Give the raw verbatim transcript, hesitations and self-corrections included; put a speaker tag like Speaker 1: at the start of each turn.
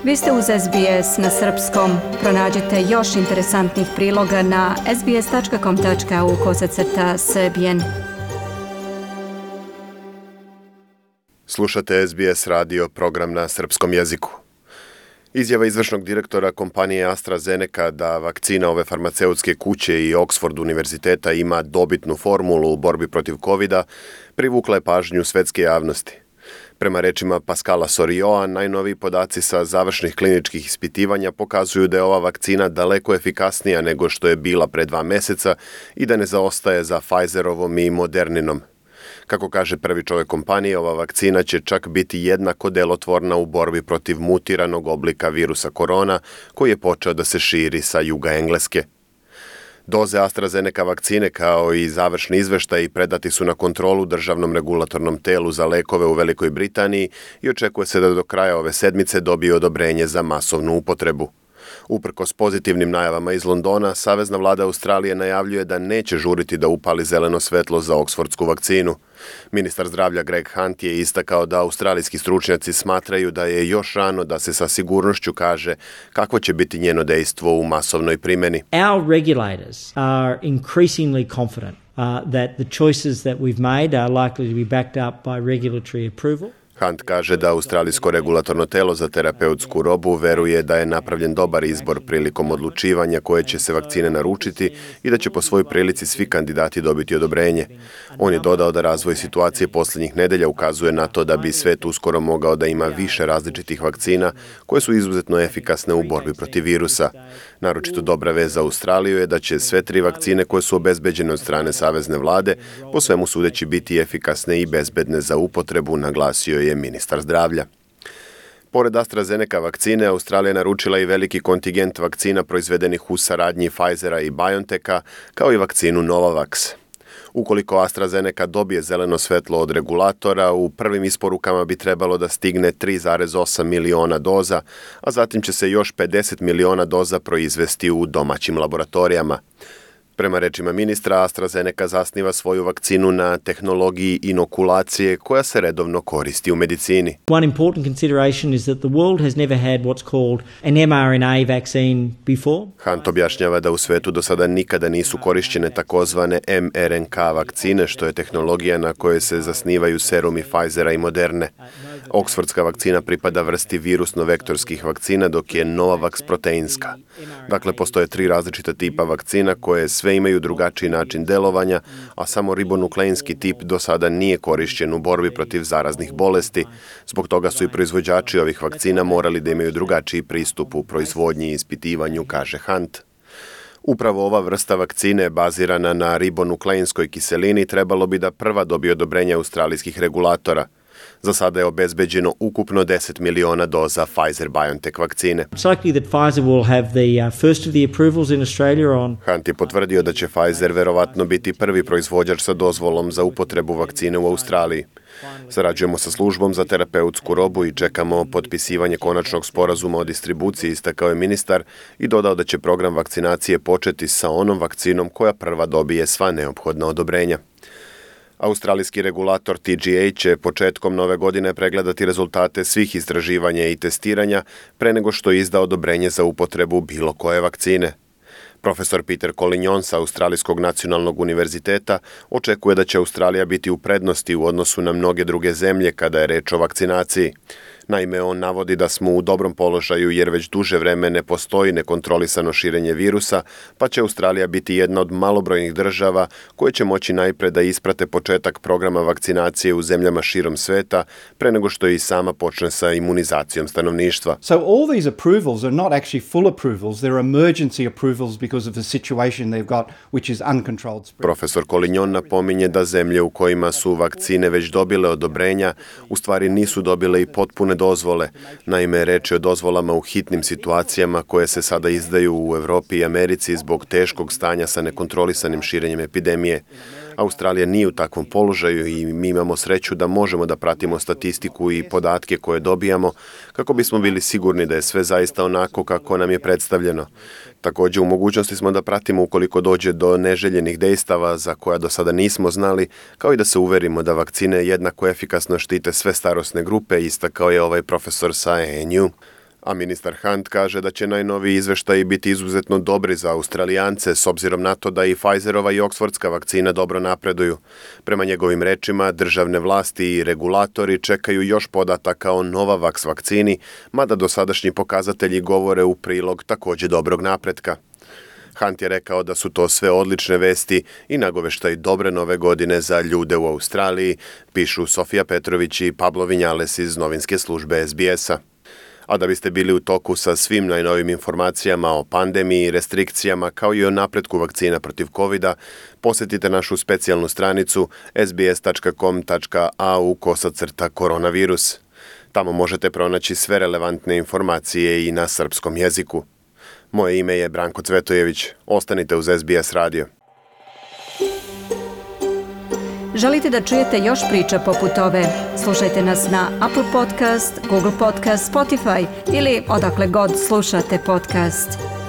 Speaker 1: Vi ste uz S B S na srpskom. Pronađite još interesantnih priloga na sbs tačka com tačka au kosacrta srbijen.
Speaker 2: Slušate S B S radio, program na srpskom jeziku. Izjava izvršnog direktora kompanije AstraZeneca da vakcina ove farmaceutske kuće i Oxford univerziteta ima dobitnu formulu u borbi protiv kovida privukla je pažnju svetske javnosti. Prema rečima Pascala Sorioa, najnoviji podaci sa završnih kliničkih ispitivanja pokazuju da je ova vakcina daleko efikasnija nego što je bila pre dva meseca i da ne zaostaje za Pfizerovom i Moderninom. Kako kaže prvi čovjek kompanije, ova vakcina će čak biti jednako delotvorna u borbi protiv mutiranog oblika virusa korona koji je počeo da se širi sa juga Engleske. Doze AstraZeneca vakcine kao i završni izveštaji predati su na kontrolu državnom regulatornom telu za lekove u Velikoj Britaniji i očekuje se da do kraja ove sedmice dobije odobrenje za masovnu upotrebu. Uprkos pozitivnim najavama iz Londona, Savezna vlada Australije najavljuje da neće žuriti da upali zeleno svetlo za oksfordsku vakcinu. Ministar zdravlja Greg Hunt je istakao da australijski stručnjaci smatraju da je još rano da se sa sigurnošću kaže kakvo će biti njeno dejstvo u masovnoj primjeni.
Speaker 3: Our regulators are increasingly confident uh, that the choices that we've made are likely to be backed up by regulatory approval.
Speaker 2: Hunt kaže da Australijsko regulatorno telo za terapeutsku robu veruje da je napravljen dobar izbor prilikom odlučivanja koje će se vakcine naručiti i da će po svojoj prilici svi kandidati dobiti odobrenje. On je dodao da razvoj situacije posljednjih nedelja ukazuje na to da bi svet uskoro mogao da ima više različitih vakcina koje su izuzetno efikasne u borbi protiv virusa. Naročito dobra vez za Australiju je da će sve tri vakcine koje su obezbeđene od strane Savezne vlade po svemu sudeći biti efikasne i bezbedne za upotrebu, naglasio je ministar zdravlja. Pored AstraZeneca vakcine, Australija naručila i veliki kontingent vakcina proizvedenih u saradnji Pfizera i BioNTecha, kao i vakcinu Novavax. Ukoliko AstraZeneca dobije zeleno svetlo od regulatora, u prvim isporukama bi trebalo da stigne tri zarez osam miliona doza, a zatim će se još pedeset miliona doza proizvesti u domaćim laboratorijama. Prema rečima ministra, AstraZeneca zasniva svoju vakcinu na tehnologiji inokulacije koja se redovno koristi u medicini.
Speaker 3: One important consideration is that the world has never had what's called an M R N A vaccine before.
Speaker 2: Hunt objašnjava da u svetu do sada nikada nisu korišćene takozvane M R N K vakcine, što je tehnologija na kojoj se zasnivaju serumi Pfizera i Moderne. Oksfordska vakcina pripada vrsti virusno-vektorskih vakcina, dok je Novavax proteinska. Dakle, postoje tri različita tipa vakcina koje sve imaju drugačiji način delovanja, a samo ribonukleinski tip do sada nije korišćen u borbi protiv zaraznih bolesti. Zbog toga su i proizvođači ovih vakcina morali da imaju drugačiji pristup u proizvodnji i ispitivanju, kaže Hunt. Upravo ova vrsta vakcine bazirana na ribonukleinskoj kiselini trebalo bi da prva dobije odobrenje australijskih regulatora. Za sada je obezbeđeno ukupno deset miliona doza Pfizer-BioNTech vakcine.
Speaker 3: It's likely that Pfizer will have the uh, first of the approvals in Australia on.
Speaker 2: Hunt je potvrdio da će Pfizer verovatno biti prvi proizvođač sa dozvolom za upotrebu vakcine u Australiji. Sarađujemo sa službom za terapeutsku robu i čekamo potpisivanje konačnog sporazuma o distribuciji, istakao je ministar i dodao da će program vakcinacije početi sa onom vakcinom koja prva dobije sva neophodna odobrenja. Australijski regulator T G A će početkom nove godine pregledati rezultate svih istraživanja i testiranja pre nego što izda odobrenje za upotrebu bilo koje vakcine. Profesor Peter Collignon sa Australijskog nacionalnog univerziteta očekuje da će Australija biti u prednosti u odnosu na mnoge druge zemlje kada je reč o vakcinaciji. Naime, on navodi da smo u dobrom položaju jer već duže vreme ne postoji nekontrolisano širenje virusa, pa će Australija biti jedna od malobrojnih država koje će moći najpre da isprate početak programa vakcinacije u zemljama širom sveta pre nego što i sama počne sa imunizacijom stanovništva.
Speaker 4: So all these approvals are not actually full approvals, they're emergency approvals because of the situation they've got, which is uncontrolled spread.
Speaker 2: Profesor Collignon napominje da zemlje u kojima su vakcine već dobile odobrenja, u stvari nisu dobile i potpune dozvole. Naime, reč je o dozvolama u hitnim situacijama koje se sada izdaju u Evropi i Americi zbog teškog stanja sa nekontrolisanim širenjem epidemije. Australija nije u takvom položaju i mi imamo sreću da možemo da pratimo statistiku i podatke koje dobijamo kako bismo bili sigurni da je sve zaista onako kako nam je predstavljeno. Također u mogućnosti smo da pratimo ukoliko dođe do neželjenih dejstava za koja do sada nismo znali, kao i da se uverimo da vakcine jednako efikasno štite sve starosne grupe, istakao je ovaj profesor sa A N U. A ministar Hunt kaže da će najnoviji izveštaji biti izuzetno dobri za Australijance s obzirom na to da i Pfizerova i Oxfordska vakcina dobro napreduju. Prema njegovim rečima, državne vlasti i regulatori čekaju još podataka o Novavax vakcini, mada dosadašnji pokazatelji govore u prilog također dobrog napretka. Hunt je rekao da su to sve odlične vesti i nagoveštaj dobre nove godine za ljude u Australiji, pišu Sofija Petrović i Pablo Vinjales iz novinske službe S B S-a. A da biste bili u toku sa svim najnovim informacijama o pandemiji, restrikcijama kao i o napretku vakcina protiv kovida, posjetite našu specijalnu stranicu s b s tačka com tačka a u kosacrta koronavirus. Tamo možete pronaći sve relevantne informacije i na srpskom jeziku. Moje ime je Branko Cvetojević. Ostanite uz S B S radio.
Speaker 1: Želite da čujete još priča poput ove? Slušajte nas na Apple Podcast, Google Podcast, Spotify ili odakle god slušate podcast.